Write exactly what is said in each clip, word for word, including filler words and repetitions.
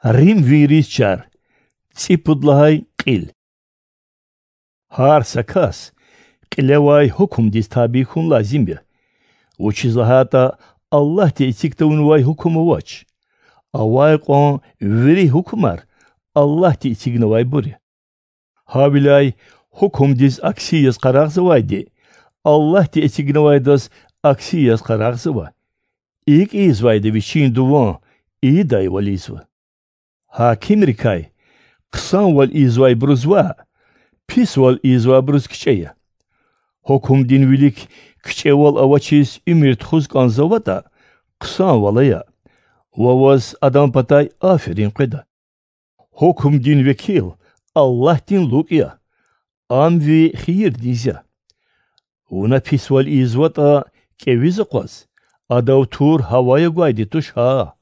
Римвийриз чар. ЦӀипуд лагьай кьил. Гьар са кас кьилевай гьукумдиз табий хьун лазим я, вучиз лагьайтӀа Аллагьди эциг тавунвай гьукум авач. Авай кьван вири гьукумар Аллагьди эцигнавайбур я. Гьавиляй гьукумдиз акси яз къарагъзавайди Аллагьди эцигнавайдаз акси яз къарагъзава. ИкӀ ийизвайда вичин дуван ийидайвал ийизва. Гьакимрикай хъсанвал ийизвайбуруз ваъ, писвал ийизвайбуруз кичӀе я. Гьукумдин вилик кичӀевал авачиз уьмуьр тухуз кӀанзаватӀа, хъсанвал ая ва ваз адан патай аферин къведа. Гьукумдин векил Аллагьдин лукӀ я, ам ви хийирдиз я. Вуна писвал ийизватӀа, кӀевиз акъваз, адав тур гьавая гвайди туш гьа.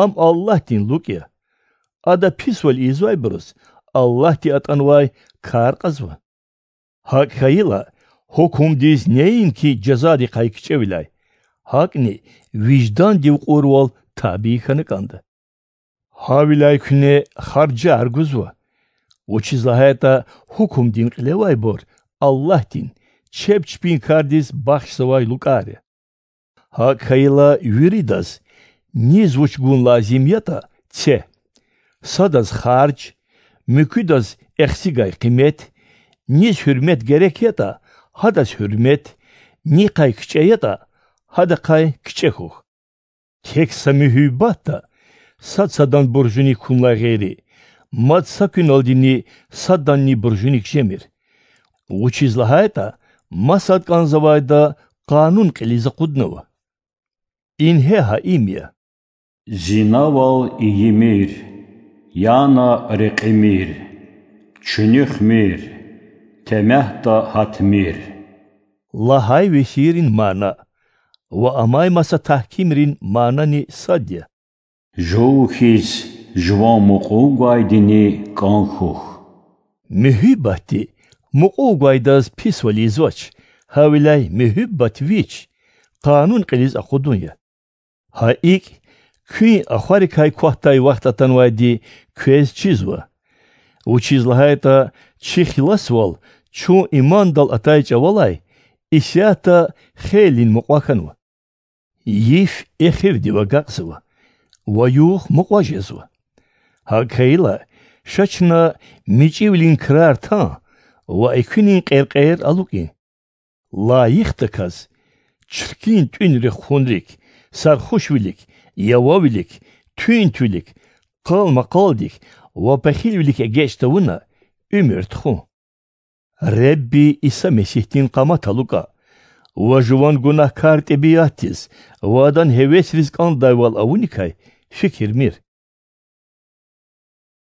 Ам Аллагьдин лукӀ я. Ада писвал ийизвайбуруз Аллагьди атӀанвай кар кьазва. ГьакӀ хьайила, гьукумдиз неинки жазадихъай кичӀевиляй, гьакӀни виждандив кьурвал табий хьана кӀанда. Гьавиляй куьне харжар гузва, вучиз лагьайтӀа гьукумдин кьилевайбур Аллагьдин чеб чпин кардиз бахшзавай лукӀар я. ГьакӀ хьайила, виридаз, низ вуч гун лазим ятӀа, це: садаз харж, муькуьдаз эхцигай къимет, низ гьуьрмет герек ятӀа, гьадаз гьуьрмет, нихъай кичӀе ятӀа, гьадахъай кичӀе хьухь. Тек са муьгьуьббатда сад садан буржуник хьунлай гъейри, мад са куьналдини саданни буржуник жемир. Вучиз лагьайтӀа масад кӀанзавайда къанун кьилиз акъуднава. Ингье гьа им я: зинавал ийимир, яна рекьимир, чуьнуьхмир, темягьда гьатмир лагьай весийрин мана ва амай маса тагькимрин манани сад я. Жув хьиз жуван мукьув гвайдини кӀан хьухь. Муьгьуьббатди мукьув гвайдаз писвал ийизвач, гьавиляй муьгьуьббат вич къанун кьилиз акъудун я. Гьа икӀ, куьн ахварикай квахьдай вахт атанвайди квез чизва. Вучиз лагьайтӀа чи хиласвал чун имандал атай чӀавалай исятда хейлин мукьва хьанва. Йиф эхирдив агакьзава ва югъ мукьва жезва. ГьакӀ хьайила, ша чна мичӀивилин крар тан ва экуьнин кьеркьер алукӀин. Лайихдаказ чиркин тӀуьнрихъ хьунрик, сархушвилик, явавилик, туьнтвилик, къал-макъалдик ва пехилвилик эгечӀ тавуна уьмуьр тухун. Худа Иса Месигьдин къамат алукӀа ва жуван гунагькар тӀебиатдиз ва адан гьевесриз кӀандайвал авуникай фикирмир.